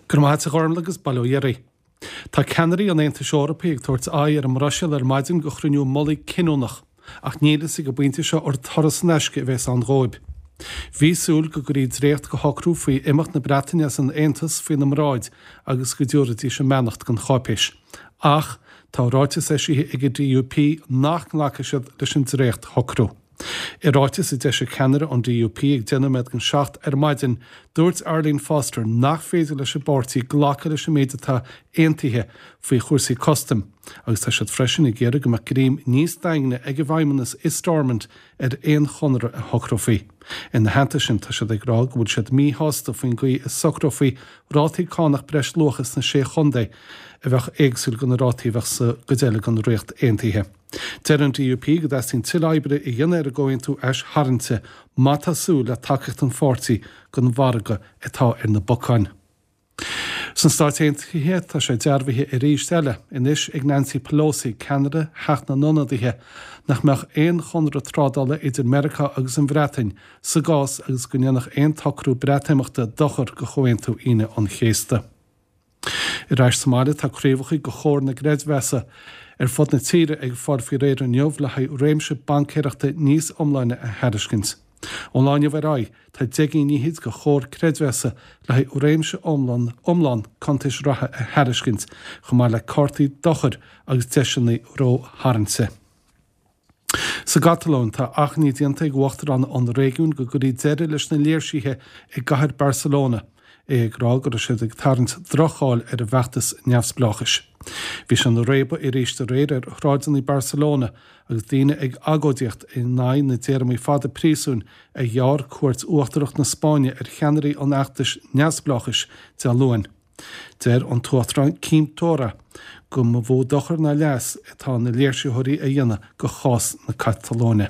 Go raibh maith agat a Ghormlaith agus bail ó Dhia oraibh. Tá ceannairí an Aontais Eorpaigh ag tabhairt aghaidh ar an mBruiséil ar maidin go chruinniú mullaigh cinniúnach, ach níl fhios ag an bpointe seo ar turas in aisce a bheas ann dhóibh. Bhí súil go gcuirí dréacht de shocrú faoi imeacht na Breataine as an Aontas faoina mbráid agus go dtabharfaidís a mbeannacht don cháipéis. Ach tá ráiteas eisithe ag an DUP nach nglacfaidh siad leis an dréacht-shocrú. I ráiteas a d'eisigh ceannaire an DUP ag 7 nóiméad don 7 ar maidin, dúirt Arlene Foster nach féidir leis an bpáirtí glacadh leis an méid atá aontaithe faoi chúrsaí custaim agus tá siad freisin ag iarraidh go mbeadh greim níos daingne ag an bhFeidhmeannas i Stormont ar aon chonradh a shocrófaí. Ina theannta sin, tá siad ag rá go bhfuil siad míshásta faoin gcaoi a socrófaí rátaí cánach breisluacha sna Sé Chontae a bheadh éagsúil go na rátaí a bheadh sa gcuid eile den Ríocht Aontaithe. Deir an DUP go dteastaíonn tuilleadh oibre a dhéanamh ar an gcomhaontú aistarraingte má tá súil le tacaíocht an pháirtí don mhargadh atá ar na bacáin. Sna Stáit Aontaithe, tá sé dearbhaithe arís eile, anois ag Nancy Pelosi, ceannaire Theach na nIonadaithe, nach mbeadh aon chonradh trádála idir Meiriceá agus an Bhreatain sa gcás agus go ndéanfadh aon tsocrú Breatimeachta dochar do Chomhaontú Aoine an Chéasta. Ar ais sa mbaile, tá craobhacha de Chomhar na gCreidmheasa ar fud na tíre ag fáil faoi réir inniu le haghaidh réimse baincéireachta níos iomláine a thairiscint. Ón lá inniu ar aghaidh, tá 10 gcinn fhichid de Chomhar Creidmheasa le haghaidh réimse iomlán iomlán cuntais reatha a thairiscint, chomh maith le cártaí dochair agus deiseanna rótharraingte. Sa gCatalóin, tá achainí déanta ag uachtarán an réigiúin go gcuirfí deireadh leis na léirsithe i gcathair Barcelona, é ag rá go raibh siad ag tarraingt droch-cháil ar an bhfeachtas neamhspleáchais. Bhí sé ina réabadh arís aréir ar shráideanna Barcelona agus daoine ag agóidíocht in aghaidh na dtéarmaí fada príosúin a ghearr Cúirt Uachtarach na Spáinne ar cheannairí an fheachtais neamhspleáchais Dé Luain. Deir an tUachtarán Quim Torra go mba mhó dochar ná leas atá na léirsitheoirí a dhéanamh do chás na Catalóine.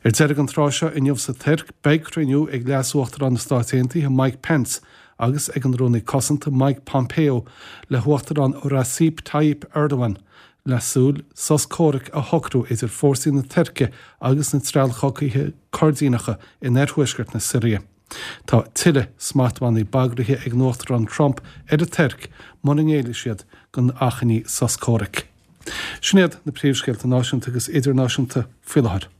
Ar deireadh an tráth seo inniu sa Tuirc, beidh cruinniú ag Leas-Uachtarán na Stát Aontaithe Mike Pence agus ag an Rúnaí Cosanta Mike Pompeo le hUachtarán Recep Tayyip Erdogan le súil sos comhraic a shocrú idir fórsaí na Tuirce agus na treallchogaithe Coirdíneacha in oirthuaisceart na Siria. Tá tuilleadh smachtbhannaí bagraithe ag an Uachtarán Trump ar an Tuirc mura ngéillfidh siad don achainí sos comhraic. Sin iad na príomhscéalta náisiúnta agus idirnáisiúnta faoi láthair.